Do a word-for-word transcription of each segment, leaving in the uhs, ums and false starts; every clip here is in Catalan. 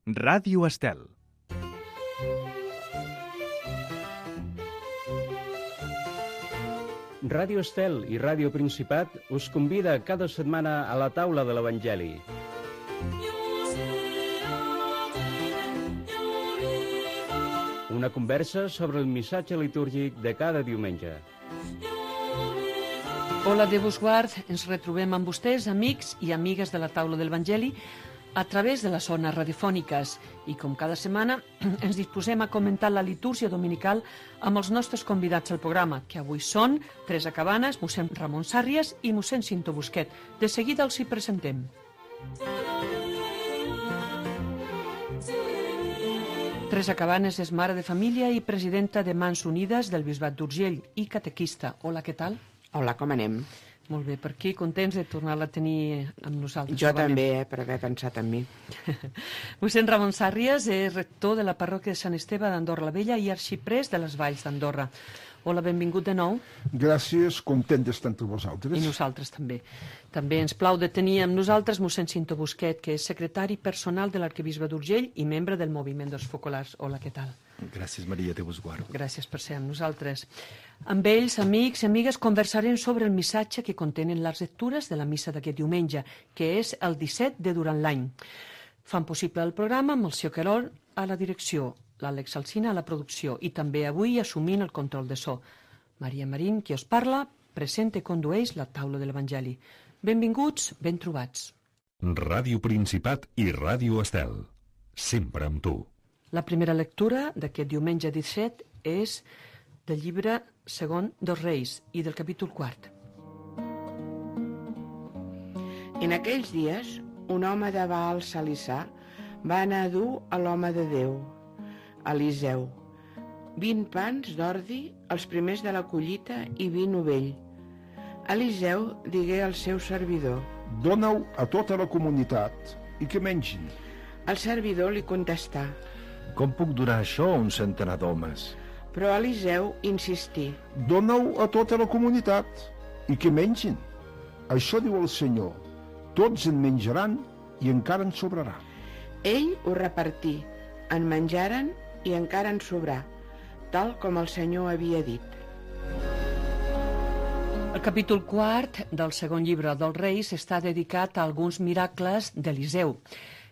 Ràdio Estel. Ràdio Estel i Ràdio Principat us convida cada setmana a la taula de l'Evangeli. Una conversa sobre el missatge litúrgic de cada diumenge. Hola, Déu vos guard. Ens retrobem amb vostès, amics i amigues de la taula de l'Evangeli, a través de les zones radiofòniques. I com cada setmana ens disposem a comentar la litúrgia dominical amb els nostres convidats al programa, que avui són Teresa Cabanes, mossèn Ramon Sàrries i mossèn Cinto Busquet. De seguida els hi presentem. Teresa Cabanes és mare de família i presidenta de Mans Unides del Bisbat d'Urgell i catequista. Hola, què tal? Hola, com anem? Molt bé, per aquí, contents de tornar-la a tenir amb nosaltres. Jo també, eh, per haver pensat en mi. Mossèn Ramon Sàrries és rector de la parròquia de Sant Esteve d'Andorra la Vella i arxiprés de les Valls d'Andorra. Hola, benvingut de nou. Gràcies, content d'estar entre vosaltres. I nosaltres també. També ens plau de tenir amb nosaltres mossèn Cinto Busquet, que és secretari personal de l'arquebisbe d'Urgell i membre del moviment dels focolars. Hola, què tal? Gràcies, Maria, Déu vos guard. Gràcies per ser amb nosaltres. Amb ells, amics i amigues, conversarem sobre el missatge que contenen les lectures de la missa d'aquest diumenge, que és el disset de durant l'any. Fan possible el programa amb el seu Querol a la direcció, l'Àlex Alsina a la producció i també avui assumint el control de so. Maria Marín, qui us parla, presenta i condueix la taula de l'Evangeli. Benvinguts, ben trobats. Ràdio Principat i Ràdio Estel. Sempre amb tu. La primera lectura d'aquest diumenge disset és del llibre segon dels Reis i del capítol quart. En aquells dies, un home de Baal Salissà va anar a dur a l'home de Déu, Eliseu, vint pans d'ordi, els primers de la collita i vi novell. Eliseu digué al seu servidor: Dóna-ho a tota la comunitat i que mengin. El servidor li contestà: Com puc durar això a un centenar d'homes? Però Eliseu insistí: Dóna-ho a tota la comunitat i que mengin. Això diu el Senyor: tots en menjaran i encara en sobrarà. Ell ho repartí, en menjaren i encara en sobrà, tal com el Senyor havia dit. El capítol quart del segon llibre dels Reis està dedicat a alguns miracles d'Eliseu.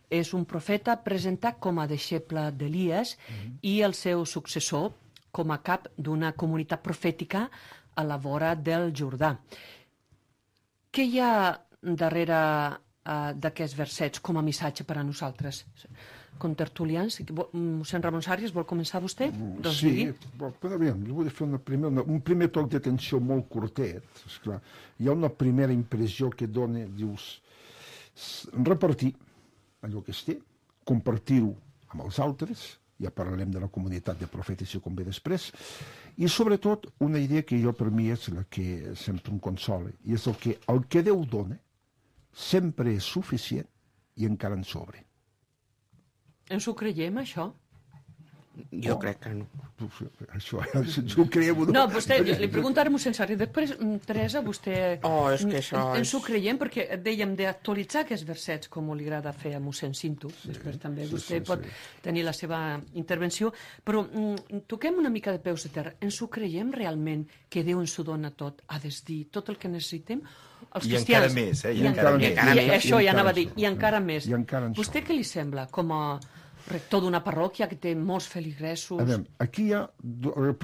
És un profeta presentat com a deixeble d'Elies mm-hmm. i el seu successor com a cap d'una comunitat profètica a la vora del Jordà. Què hi ha darrere uh, d'aquests versets com a missatge per a nosaltres? Contertulians, mossèn Ramon Sàrries, vol començar vostè? Doncs sí, digui. però bé, jo vull fer una primer, una, un primer toc d'atenció molt curtet. Esclar. Hi ha una primera impressió que dona, dius, repartir allò que es té, compartir-ho amb els altres, ja parlarem de la comunitat de profetes i com ve després, i sobretot una idea que jo per mi és la que sempre em consola, i és el que el que Déu dona sempre és suficient i encara en sobre. Ens ho creiem, això? Jo oh. crec que no. Això, ens ho creiem. No, vostè, li pregunto ara mossèn Sàrries. Després, Teresa, vostè... Oh, és que això ens, és... ens ho creiem perquè dèiem d'actualitzar aquests versets, com li agrada fer a mossèn Cinto. Sí, després també sí, vostè sí, pot sí. tenir la seva intervenció. Però mm, toquem una mica de peus de terra. Ens ho creiem realment que Déu ens ho dona tot, ha de dir tot el que necessitem? Els I cristians, encara més, eh? I, I encara, encara, encara més. I, això ja anava a dir, i encara més. I encara Vostè què li sembla, com a rector d'una parròquia que té molts feligresos? A veure, aquí hi ha...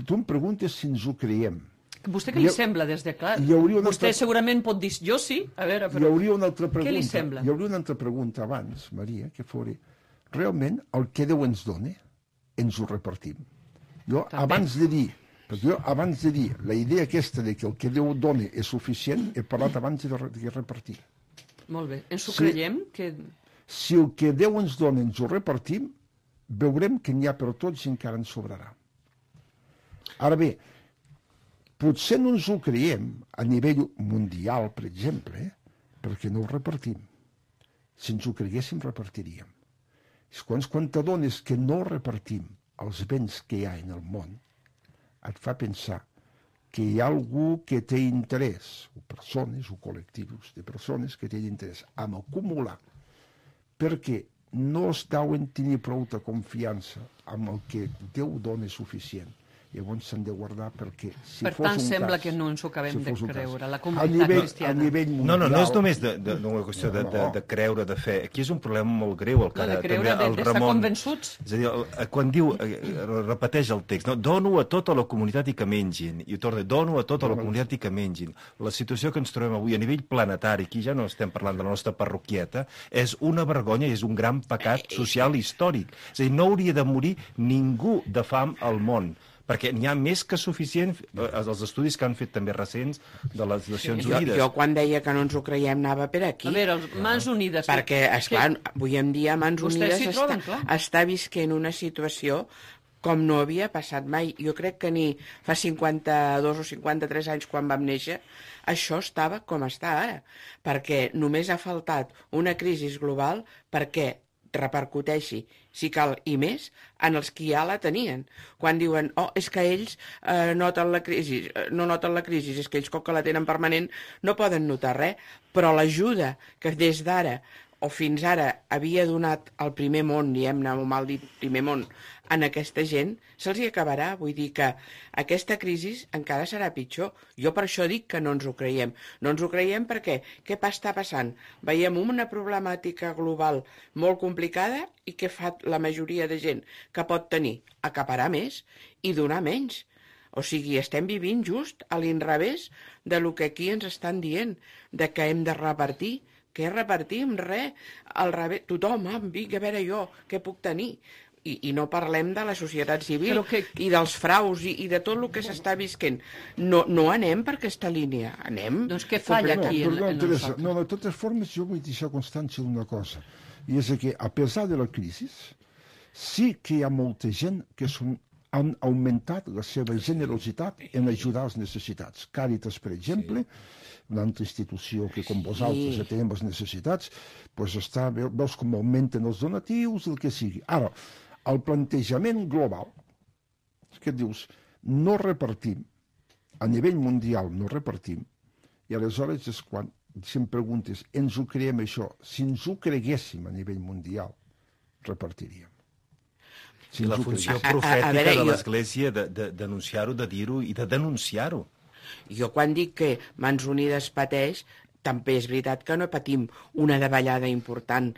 Tu em preguntes si ens ho creiem. Vostè què li ha, sembla des de clar? Vostè altra... segurament pot dir jo sí, a veure, però... Hi hauria una altra pregunta. Què li sembla? Hi hauria una altra pregunta abans, Maria, que fos realment el que Déu ens dona, ens ho repartim. Jo, També. abans de dir, perquè jo, abans de dir la idea aquesta de que el que Déu dona és suficient, he parlat abans de, de repartir. Molt bé. Ens ho si, creiem? Que... Si el que Déu ens dona ens ho repartim, veurem que n'hi ha per tots i encara ens sobrarà. Ara bé, potser no ens ho creiem a nivell mundial, per exemple, eh? perquè no ho repartim. Si ens ho creguéssim, repartiríem. És quan, quan t'adones que no repartim els béns que hi ha en el món, et fa pensar que hi ha algú que té interès, o persones o col·lectius de persones que tenen interès en acumular, perquè no es deuen tenir prou de confiança amb el que Déu dona suficient. Llavors s'han de guardar perquè si per fos tant, un sembla cas, que no ens ho acabem si de fos un cas, creure, la a comunitat nivell, cristiana. a nivell mundial... No, no, no és només de, de, de una qüestió de, de, de creure, de fe. Aquí és un problema molt greu, el que No, de ara creure, també el de- d'estar Ramon... convençuts. És a dir, el, quan diu, eh, repeteix el text, no? Dono a tota la comunitat i que mengin. I ho torna, dono a tota la comunitat i que mengin. La situació que ens trobem avui a nivell planetari, aquí ja no estem parlant de la nostra parroquieta, és una vergonya i és un gran pecat social històric. És a dir, no hauria de morir ningú de fam al món, perquè n'hi ha més que suficient, eh, els estudis que han fet també recents de les Nacions Jo, Unides. jo quan deia que no ens ho creiem anava per aquí. A veure, els Mans Unides... Perquè, esclar, avui en dia Mans Vostès Unides s'hi està, troben, clar. està visquent una situació com no havia passat mai. Jo crec que ni fa cinquanta-dos o cinquanta-tres anys quan vam néixer, això estava com està ara. Perquè només ha faltat una crisi global perquè repercuteixi, si cal, i més, en els que ja la tenien. Quan diuen, oh, és que ells eh, noten la crisi, eh, no noten la crisi, és que ells, com que la tenen permanent, no poden notar res, però l'ajuda que des d'ara o fins ara havia donat al primer món, diguem-ne, o mal dit primer món, en aquesta gent, se'ls hi acabarà. Vull dir que aquesta crisi encara serà pitjor. Jo per això dic que no ens ho creiem. No ens ho creiem perquè què està passant? Veiem una problemàtica global molt complicada i què fa la majoria de gent que pot tenir? Acaparar més i donar menys. O sigui, estem vivint just a l'inrevés de lo que aquí ens estan dient, de que hem de repartir. Què repartim? Res. Al revés, tothom, ah, vinga, a veure jo, què puc tenir? I, i no parlem de la societat civil que... i dels fraus i, i de tot el que s'està visquent. No, no anem per aquesta línia, anem... Doncs què falla No, aquí en, perdó, en Teresa, nosaltres? no, de totes formes jo vull deixar constància d'una cosa, i és que a pesar de la crisi, sí que hi ha molta gent que són, han augmentat la seva generositat en ajudar els necessitats. Càritas, per exemple, una altra institució que com vosaltres ja tenim les necessitats, doncs està, veus com augmenten els donatius, el que sigui. Ara, el plantejament global, que dius, no repartim, a nivell mundial no repartim, i aleshores és quan, si em preguntes, ens ho creiem això, si ens ho creguéssim a nivell mundial, repartiríem. Si I la ens ho funció creguéssim. profètica A- a- a veure, de jo- l'Església de, de denunciar-ho, de dir-ho i de denunciar-ho. Jo quan dic que Mans Unides pateix, també és veritat que no patim una davallada important.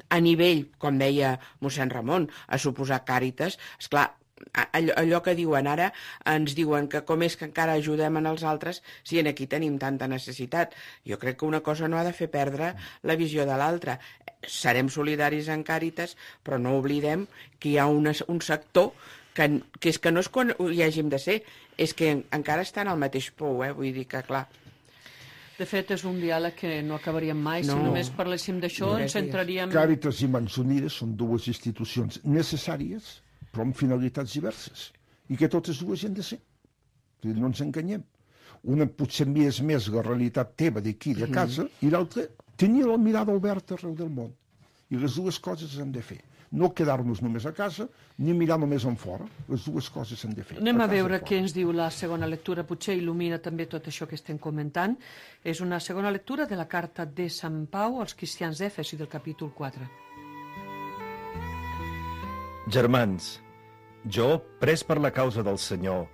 A nivell, com deia mossèn Ramon, a suposar Càritas, esclar, allò, allò que diuen ara, ens diuen que com és que encara ajudem en els altres si en aquí tenim tanta necessitat. Jo crec que una cosa no ha de fer perdre la visió de l'altra. Serem solidaris en Càritas, però no oblidem que hi ha una, un sector que, que és que no és quan hi hàgim de ser, és que encara estan al mateix pou, eh? Vull dir que, clar... De fet, és un diàleg que no acabaríem mai. No. Si només parléssim d'això, No, ens gràcies. centraríem... Càritas i Mans Unides són dues institucions necessàries, però amb finalitats diverses, i que totes dues hi han de ser. És a dir, no ens enganyem. Una potser més més la realitat teva d'aquí, de casa, i l'altra tenir la mirada oberta arreu del món. I les dues coses s'han de fer. No quedar-nos només a casa, ni mirar només en fora. Les dues coses s'han de fer. Anem a casa veure i fora. què ens diu la segona lectura. Potser il·lumina també tot això que estem comentant. És una segona lectura de la carta de Sant Pau als cristians d'Èfesi del capítol quatre. Germans, jo, pres per la causa del Senyor,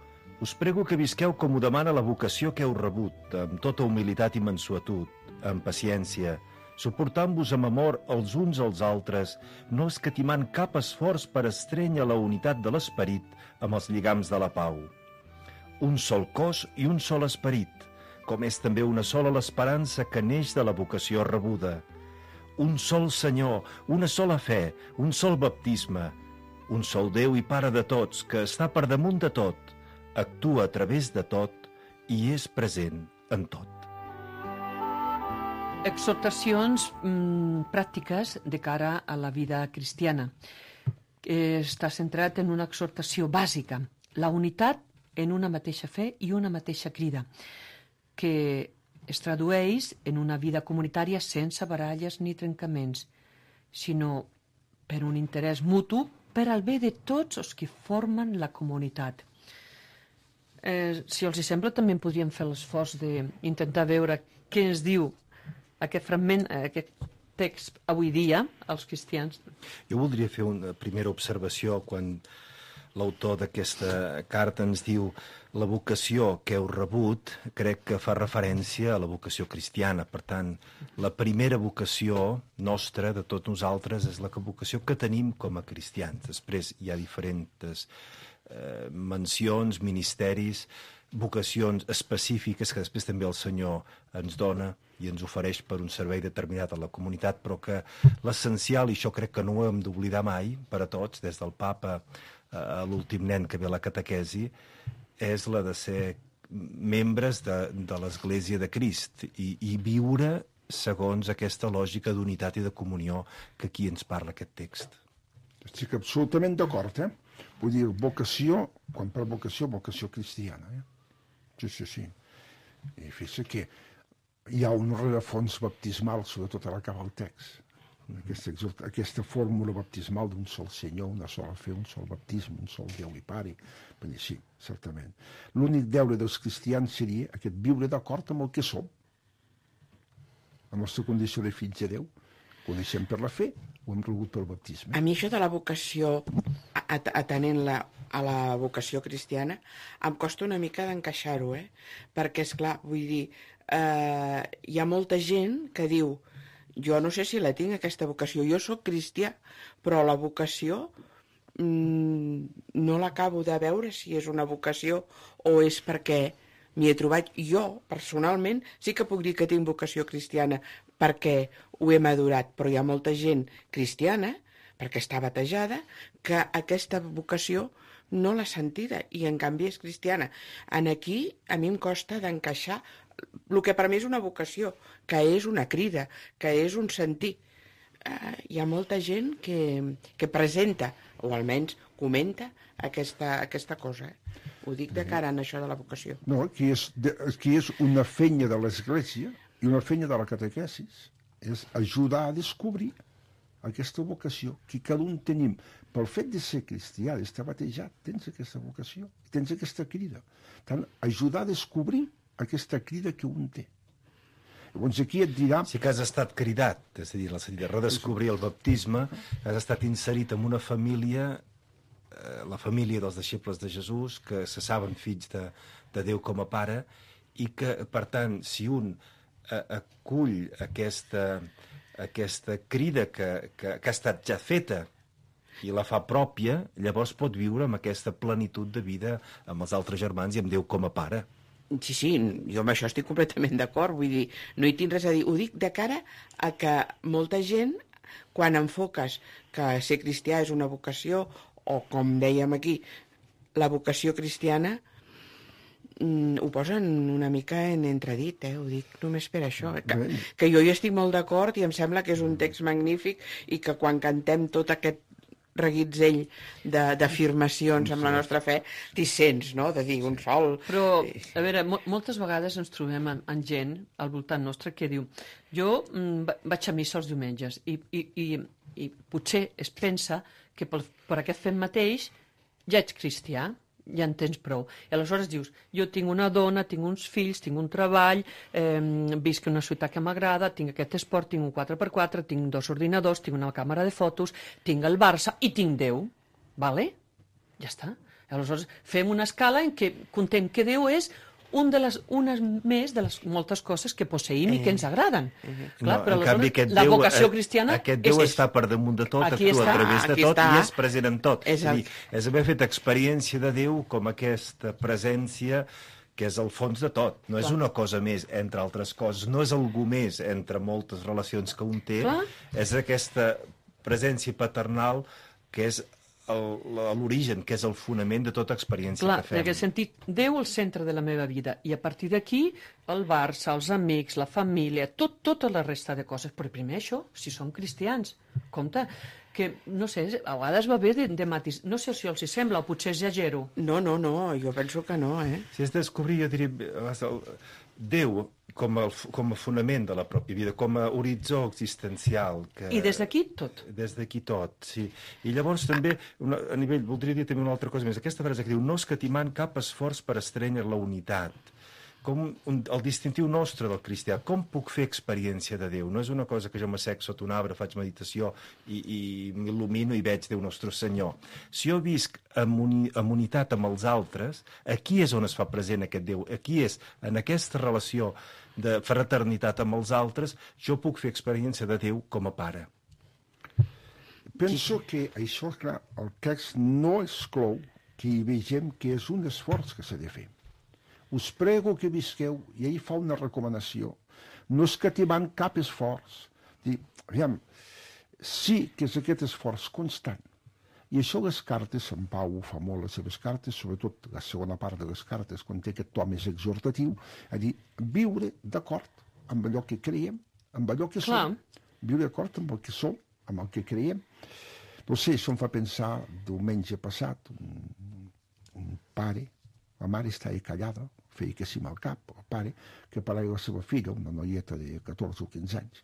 us prego que visqueu com ho demana la vocació que heu rebut, amb tota humilitat i mansuetud, amb paciència, suportant-vos amb amor els uns als altres, no escatimant cap esforç per estrènyer la unitat de l'esperit amb els lligams de la pau. Un sol cos i un sol esperit, com és també una sola l'esperança que neix de la vocació rebuda. Un sol Senyor, una sola fe, un sol baptisme, un sol Déu i Pare de tots, que està per damunt de tot, actua a través de tot i és present en tot. Exhortacions mm, pràctiques de cara a la vida cristiana. Està centrat en una exhortació bàsica, la unitat en una mateixa fe i una mateixa crida, que es tradueix en una vida comunitària sense baralles ni trencaments, sinó per un interès mutu per al bé de tots els que formen la comunitat. Eh, si els hi sembla, també podríem fer l'esforç d'intentar veure què ens diu aquest fragment, aquest text avui dia, els cristians. Jo voldria fer una primera observació quan l'autor d'aquesta carta ens diu la vocació que heu rebut, crec que fa referència a la vocació cristiana. Per tant, la primera vocació nostra de tots nosaltres és la vocació que tenim com a cristians. Després hi ha diferents eh, mencions, ministeris, vocacions específiques que després també el Senyor ens dona i ens ofereix per un servei determinat a la comunitat, però que l'essencial, i això crec que no ho hem d'oblidar mai per a tots, des del papa a l'últim nen que ve a la catequesi, és la de ser membres de, de l'Església de Crist i, i viure segons aquesta lògica d'unitat i de comunió que aquí ens parla aquest text. Estic absolutament d'acord, eh? Vull dir, vocació, quan per vocació, vocació cristiana, eh? Sí, sí, sí. I fixa que hi ha un rerefons baptismal, sobretot ara acaba el text. Aquesta, aquesta fórmula baptismal d'un sol Senyor, una sola fe, un sol baptisme, un sol Déu i Pare. Vull dir, sí, certament. L'únic deure dels cristians seria aquest viure d'acord amb el que som. La nostra condició de fills de Déu. Ho deixem per la fe, ho hem rebut pel baptisme. A mi això de la vocació, atenent-la a la vocació cristiana, em costa una mica d'encaixar-ho, eh? Perquè, esclar, vull dir, eh, hi ha molta gent que diu jo no sé si la tinc, aquesta vocació, jo sóc cristià, però la vocació mmm, no l'acabo de veure si és una vocació o és perquè m'hi he trobat. Jo, personalment, sí que puc dir que tinc vocació cristiana perquè ho he madurat, però hi ha molta gent cristiana, perquè està batejada, que aquesta vocació no l'ha sentida i en canvi és cristiana. En aquí a mi em costa d'encaixar el que per mi és una vocació, que és una crida, que és un sentir. Uh, hi ha molta gent que, que presenta, o almenys comenta, aquesta, aquesta cosa. Eh? Ho dic de cara en això de la vocació. No, aquí és, de, aquí és una feina de l'Església i una feina de la catequesis. És ajudar a descobrir aquesta vocació que cada un tenim. Pel fet de ser cristià, d'estar batejat, tens aquesta vocació, tens aquesta crida. Tant, ajudar a descobrir aquesta crida que un té. Llavors aquí et dirà... Sí que has estat cridat, és a dir, la de redescobrir el baptisme, has estat inserit en una família, eh, la família dels deixebles de Jesús, que se saben fills de, de Déu com a pare, i que, per tant, si un eh, acull aquesta, aquesta crida que, que, que ha estat ja feta i la fa pròpia, llavors pot viure amb aquesta plenitud de vida amb els altres germans i amb Déu com a pare. Sí, sí, jo amb això estic completament d'acord, vull dir, no hi tinc res a dir. Ho dic de cara a que molta gent, quan enfoques que ser cristià és una vocació, o com dèiem aquí, la vocació cristiana, mm, ho posen una mica en entredit, eh? Ho dic només per això. Eh? Que, que jo hi estic molt d'acord i em sembla que és un text magnífic i que quan cantem tot aquest reguitzell d'afirmacions amb la nostra fe, t'hi sents, no?, de dir un sol... Però, a veure, mo moltes vegades ens trobem amb, amb gent al voltant nostre que diu jo mm, vaig a missa els diumenges i, i, i, i potser es pensa que per, per aquest fet mateix ja ets cristià, ja en tens prou. I aleshores dius, jo tinc una dona, tinc uns fills, tinc un treball, eh, visc en una ciutat que m'agrada, tinc aquest esport, tinc un quatre per quatre, tinc dos ordinadors, tinc una càmera de fotos, tinc el Barça i tinc Déu. Vale? Ja està. Aleshores fem una escala en què contem que Déu és un de les, unes més de les moltes coses que posseïm i que ens agraden. Uh-huh. Clar, no, però en canvi, aquest la Déu, vocació cristiana aquest Déu és està per damunt de tot, aquí actua està, a través de tot està. I és present en tot. És, el... és, dir, és haver fet experiència de Déu com aquesta presència que és el fons de tot. No Clar. És una cosa més entre altres coses, no és algú més entre moltes relacions que un té, Clar. És aquesta presència paternal que és l'origen, que és el fonament de tota experiència Clar, que fem. en aquest sentit, Déu al centre de la meva vida, i a partir d'aquí el Barça, els amics, la família, tot, tota la resta de coses. Però primer això, si som cristians, compte, que, no sé, a vegades va bé de, de matis. No sé si els hi sembla, o potser exagero. No, no, no, jo penso que no, eh? Si és descobrir, jo diria, el Déu com a, com a fonament de la pròpia vida, com a horitzó existencial. Que, I des d'aquí tot. Des d'aquí tot, sí. I llavors també, una, a nivell, voldria dir també una altra cosa més. Aquesta frase que diu, no escatimant cap esforç per estrènyer la unitat. com un, el distintiu nostre del cristià. Com puc fer experiència de Déu? No és una cosa que jo m'assec sota un arbre, faig meditació i, i m'il·lumino i veig Déu nostre Senyor. Si jo visc en, uni, en unitat amb els altres, aquí és on es fa present aquest Déu. Aquí és, en aquesta relació de fraternitat amb els altres, jo puc fer experiència de Déu com a pare. Penso que això, clar, el text no exclou que hi vegem que és un esforç que s'ha de fer. Us prego que visqueu, i ell fa una recomanació, no escatimant cap esforç. Dir, aviam, sí que és aquest esforç constant. I això les cartes, en Pau fa molt les seves cartes, sobretot la segona part de les cartes, quan té aquest to més exhortatiu, a dir, viure d'acord amb allò que creiem, amb allò que Clar. som. Viure d'acord amb el que som, amb el que creiem. No sé, això em fa pensar, diumenge passat, un, un pare, la mare estava callada, feia que sí amb el cap, el pare, que parlava de la seva filla, una noieta de catorze o quinze anys,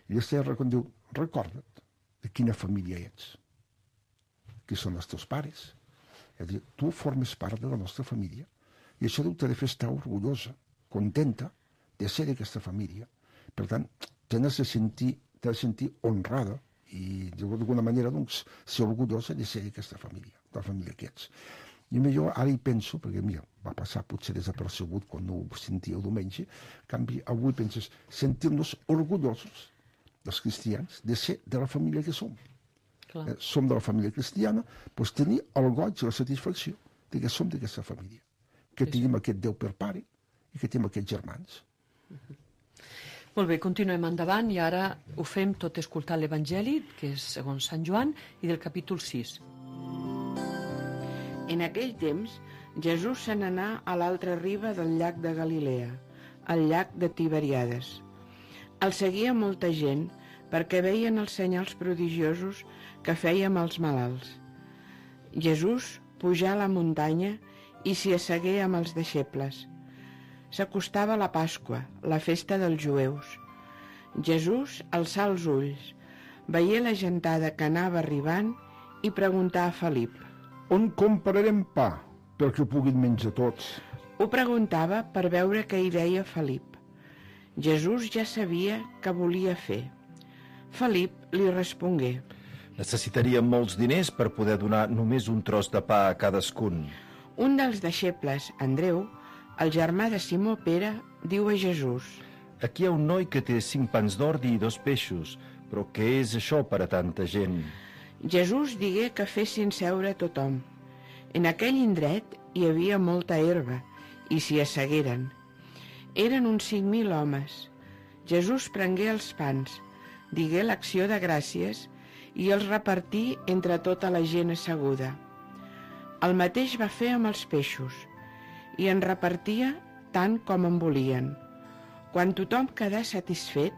i estava recordant, recorda't de quina família ets, qui són els teus pares. És a dir, tu formes part de la nostra família, i això t'ha de fer estar orgullosa, contenta de ser d'aquesta família. Per tant, t'has de sentir, t'has de sentir honrada i d'alguna manera doncs, ser orgullosa de ser d'aquesta família, de la família que ets. I millor ara hi penso, perquè mira, va passar potser desapercebut quan no ho sentia el diumenge, en canvi avui penses sentir-nos orgullosos dels cristians de ser de la família que som. Eh, som de la família cristiana, doncs tenir el goig i la satisfacció de que som d'aquesta família, que tenim aquest Déu per pare i que tenim aquests germans. Uh-huh. Molt bé, continuem endavant i ara ho fem tot escoltant l'Evangeli, que és segons Sant Joan, i del capítol sis. En aquell temps, Jesús se n'anà a l'altra riba del llac de Galilea, el llac de Tiberiades. El seguia molta gent perquè veien els senyals prodigiosos que feia amb els malalts. Jesús pujà a la muntanya i s'hi assegué amb els deixebles. S'acostava la Pasqua, la festa dels jueus. Jesús alçà els ulls, veié la gentada que anava arribant i preguntà a Felip: On comprarem pa perquè puguin menjar tots? Ho preguntava per veure què hi deia Felip. Jesús ja sabia què volia fer. Felip li respongué: Necessitaríem molts diners per poder donar només un tros de pa a cadascun. Un dels deixebles, Andreu, el germà de Simó Pere, diu a Jesús: Aquí hi ha un noi que té cinc pans d'ordi i dos peixos, però què és això per a tanta gent? Jesús digué que fessin seure tothom. En aquell indret hi havia molta herba i s'hi assegueren. Eren uns cinc mil homes. Jesús prengué els pans, digué l'acció de gràcies i els repartí entre tota la gent asseguda. El mateix va fer amb els peixos i en repartia tant com en volien. Quan tothom quedà satisfet,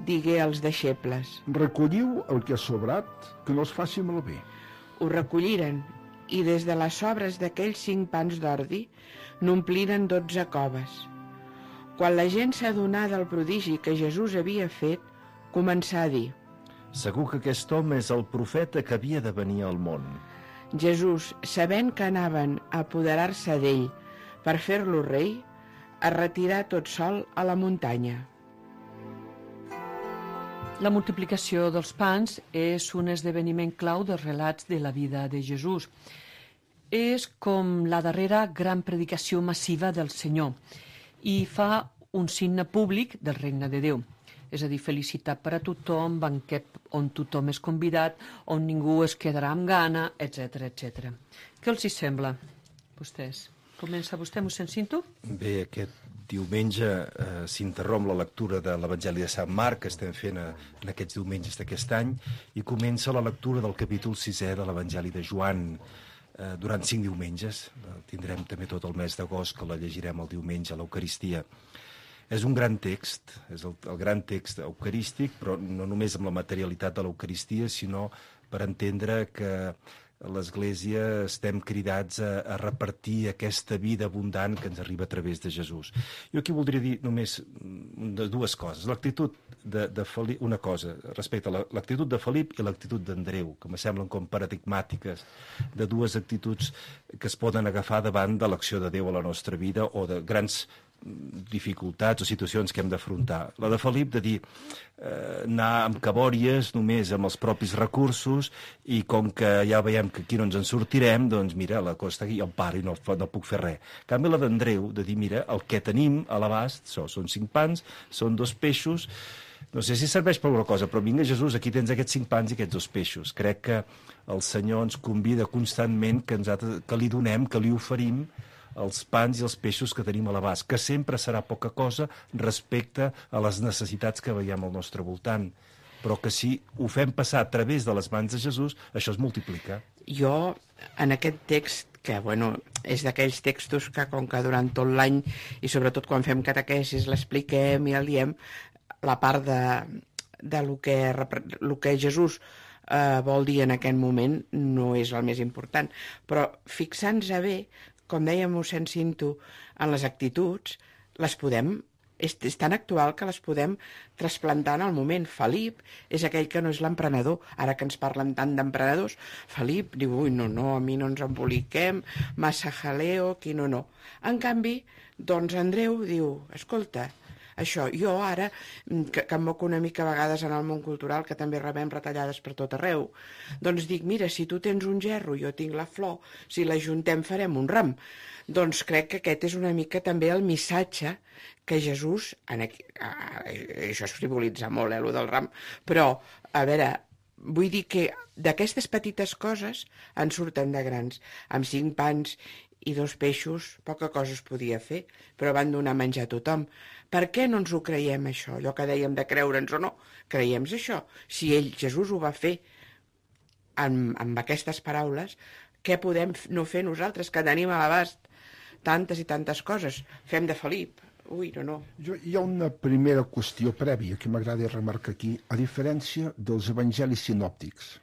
digué als deixebles: Recolliu el que ha sobrat, que no es faci malbé. Ho recolliren i des de les sobres d'aquells cinc pans d'ordi n'ompliren dotze coves. Quan la gent s'adonà del prodigi que Jesús havia fet, començà a dir: Segur que aquest home és el profeta que havia de venir al món. Jesús, sabent que anaven a apoderar-se d'ell per fer-lo rei, es retirà tot sol a la muntanya. La multiplicació dels pans és un esdeveniment clau dels relats de la vida de Jesús. És com la darrera gran predicació massiva del Senyor i fa un signe públic del regne de Déu. És a dir, felicitat per a tothom, banquet on tothom és convidat, on ningú es quedarà amb gana, etcètera, etcètera. Què els hi sembla, vostès? Comença vostè, mossèn Cinto? Bé, aquest diumenge eh, s'interromp la lectura de l'Evangeli de Sant Marc, que estem fent a, en aquests diumenges d'aquest any, i comença la lectura del capítol sisè de l'Evangeli de Joan, eh, durant cinc diumenges. Eh, tindrem també tot el mes d'agost, que la llegirem el diumenge a l'Eucaristia. És un gran text, és el, el gran text eucarístic, però no només amb la materialitat de l'Eucaristia, sinó per entendre que l'Església estem cridats a, a repartir aquesta vida abundant que ens arriba a través de Jesús. Jo aquí voldria dir només dues coses. L'actitud de, de Felip, una cosa respecte a l'actitud de Felip i l'actitud d'Andreu, que me semblen com paradigmàtiques de dues actituds que es poden agafar davant de l'acció de Déu a la nostra vida o de grans dificultats o situacions que hem d'afrontar. La de Felip de dir eh, anar amb cabòries només amb els propis recursos i com que ja veiem que aquí no ens en sortirem, doncs mira, la cosa està aquí, jo em paro i no, no puc fer res. En canvi la d'Andreu de dir, mira, el que tenim a l'abast so, són cinc pans, són dos peixos, no sé si serveix per alguna cosa, però vinga Jesús, aquí tens aquests cinc pans i aquests dos peixos. Crec que el Senyor ens convida constantment que, ens ha, que li donem, que li oferim els pans i els peixos que tenim a l'abast, que sempre serà poca cosa respecte a les necessitats que veiem al nostre voltant, però que si ho fem passar a través de les mans de Jesús, això es multiplica. Jo, en aquest text, que bueno, és d'aquells textos que com que durant tot l'any, i sobretot quan fem catequesis, l'expliquem i el diem, la part de, de lo que, lo que Jesús eh, vol dir en aquest moment no és el més important, però fixant-se bé, com deia mossèn Cinto, en les actituds, les podem, és, és tan actual que les podem trasplantar en el moment. Felip és aquell que no és l'emprenedor. Ara que ens parlen tant d'emprenedors, Felip diu, ui, no, no, a mi no ens emboliquem, massa jaleo, aquí no, no. En canvi, doncs Andreu diu, escolta, això, jo ara, que, que em moco una mica a vegades en el món cultural, que també rebem retallades per tot arreu, doncs dic, mira, si tu tens un gerro, jo tinc la flor, si la juntem farem un ram. Doncs crec que aquest és una mica també el missatge que Jesús, en aquí, això es frivolitza molt, eh, lo del ram, però, a veure, vull dir que d'aquestes petites coses en surten de grans. Amb cinc pans i dos peixos, poca cosa es podia fer, però van donar menjar a tothom. Per què no ens ho creiem, això? Allò que dèiem de creure'ns o no, creiem això. Si ell, Jesús, ho va fer amb, amb aquestes paraules, què podem no fer nosaltres, que tenim a l'abast tantes i tantes coses? Fem de Felip. Ui, no, no. Jo, hi ha una primera qüestió prèvia que m'agrada remarcar aquí, a diferència dels evangelis sinòptics.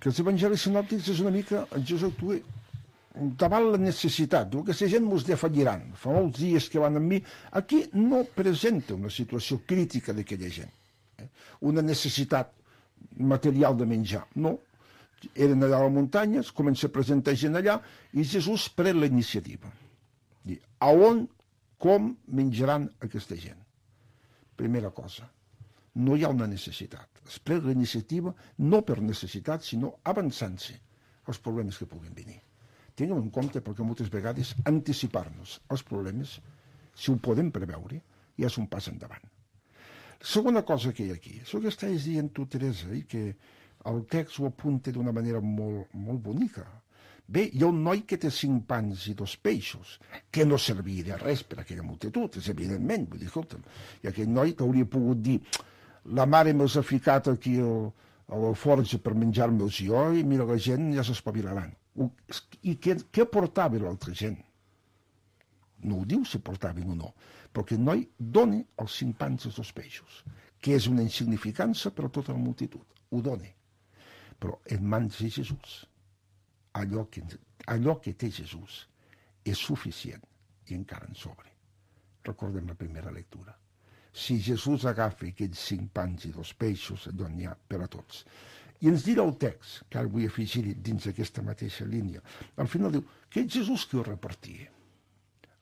Que els evangelis sinòptics és una mica, Jesús actua davant la necessitat, diu que la gent mos defalliran, fa molts dies que van amb mi. Aquí no presenta una situació crítica d'aquella gent, eh? Una necessitat material de menjar, no. Eren allà a la muntanya, es comença a presentar gent allà, i Jesús pren la iniciativa. Diu, a on, com menjaran aquesta gent? Primera cosa, no hi ha una necessitat. Es pren la iniciativa no per necessitat, sinó avançant-se als problemes que puguin venir. Tinguem en compte perquè moltes vegades anticipar-nos als problemes, si ho podem preveure, ja és un pas endavant. La segona cosa que hi ha aquí, és el que estàs dient tu, Teresa, i que el text ho apunta d'una manera molt, molt bonica. Bé, hi ha un noi que té cinc pans i dos peixos, que no servia de res per a aquella multitud, és evidentment, vull dir, escolta'm, i aquell noi t'hauria pogut dir, la mare me'ls ha ficat aquí al, a la forja per menjar-me'ls jo, i mira, la gent ja s'espavilaran. I què, què portava l'altra gent? No ho diu si portaven o no, però que el noi dona els cinc pans i els dos peixos, que és una insignificança per a tota la multitud, ho dona. Però en mans de Jesús, allò que, allò que té Jesús és suficient i encara en sobre. Recordem la primera lectura. Si Jesús agafa aquests cinc pans i dos peixos, allò n'hi ha per a tots. I ens dirà el text, que ara vull afegir dins d'aquesta mateixa línia. Al final diu que és Jesús qui ho repartia.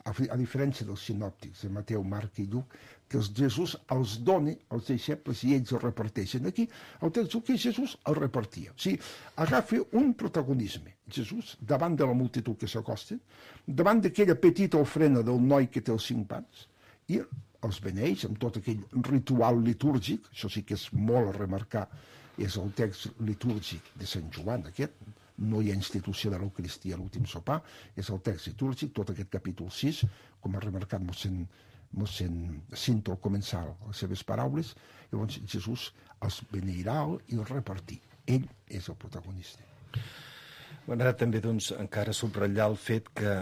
A, a diferència dels sinòptics de Mateu, Marc i Lluc, que els Jesús els dona als deixebles i ells els reparteixen. Aquí el text diu que Jesús el repartia. O sigui, agafa un protagonisme. Jesús, davant de la multitud que s'acosta, davant d'aquella petita ofrena del noi que té els cinc pans, i els beneix amb tot aquell ritual litúrgic, això sí que és molt a remarcar, és el text litúrgic de Sant Joan, aquest, no hi ha institució de l'Eucaristia a l'últim sopar, és el text litúrgic, tot aquest capítol sis, com ha remarcat mossèn, mossèn Cinto al començar les seves paraules, llavors Jesús els beneirà i els repartir. Ell és el protagonista. M'agrada també, doncs, encara subratllar el fet que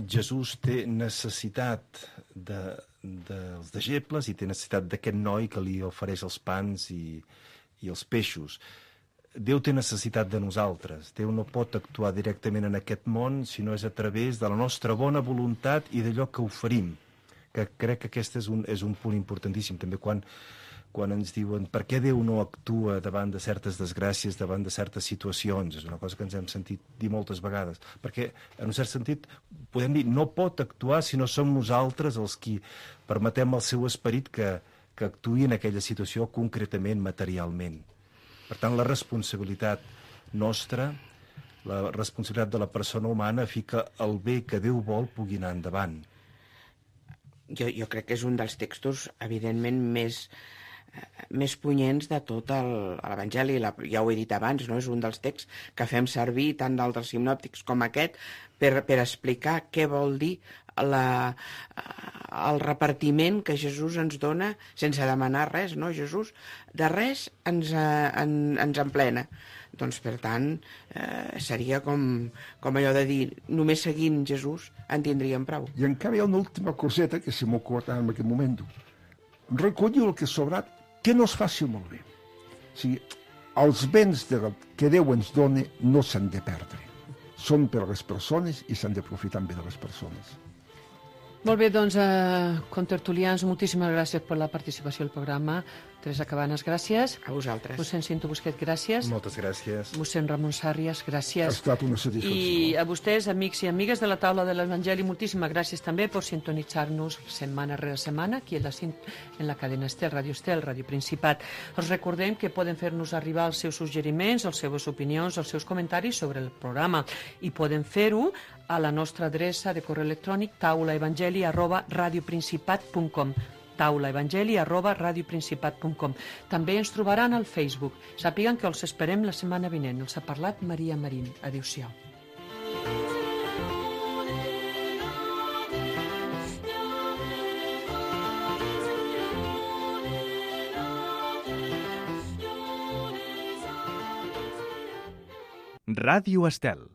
Jesús té necessitat de, dels deixebles i té necessitat d'aquest noi que li ofereix els pans i i els peixos. Déu té necessitat de nosaltres. Déu no pot actuar directament en aquest món si no és a través de la nostra bona voluntat i d'allò que oferim. Que crec que aquest és un, és un punt importantíssim. També quan, quan ens diuen per què Déu no actua davant de certes desgràcies, davant de certes situacions. És una cosa que ens hem sentit dir moltes vegades. Perquè, en un cert sentit, podem dir, no pot actuar si no som nosaltres els qui permetem al seu esperit que, que actuï en aquella situació concretament, materialment. Per tant, la responsabilitat nostra, la responsabilitat de la persona humana, fi que el bé que Déu vol pugui anar endavant. Jo, jo crec que és un dels textos, evidentment, més, eh, més punyents de tot el- l'Evangeli. La- Ja ho he dit abans, no? És un dels texts que fem servir tant d'altres sinòptics com aquest per, per explicar què vol dir la, eh, el repartiment que Jesús ens dona sense demanar res, no? Jesús de res ens, eh, en, ens emplena. Doncs, per tant, eh, seria com, com allò de dir, només seguint Jesús en tindríem prou. I encara hi ha una última coseta que se m'ha ocorregut en aquest moment. Recollir el que ha sobrat, que no es faci malbé. O sigui, els béns de, que Déu ens dona no s'han de perdre. Són per a les persones i s'han d'aprofitar bé de les persones. Molt bé, doncs, eh, contertulians, moltíssimes gràcies per la participació al programa. Teresa Cabanes, gràcies. A vosaltres. Mossèn Cinto Busquet, gràcies. Moltes gràcies. Mossèn Ramon Sàrries, Ha gràcies. estat una satisfacció. I a vostès, amics i amigues de la taula de l'Evangeli, moltíssimes gràcies també per sintonitzar-nos setmana rere setmana aquí en la, cin- en la cadena Estel, Ràdio Estel, Ràdio Principat. Els recordem que poden fer-nos arribar els seus suggeriments, les seves opinions, els seus comentaris sobre el programa i poden fer-ho a la nostra adreça de correu electrònic taulaevangeli arroba radioprincipat punt com taulaevangeli arroba radioprincipat punt com. També ens trobaran al Facebook. Sàpiguen que els esperem la setmana vinent. Els ha parlat Maria Marín. Adéu-siau. Ràdio Estel.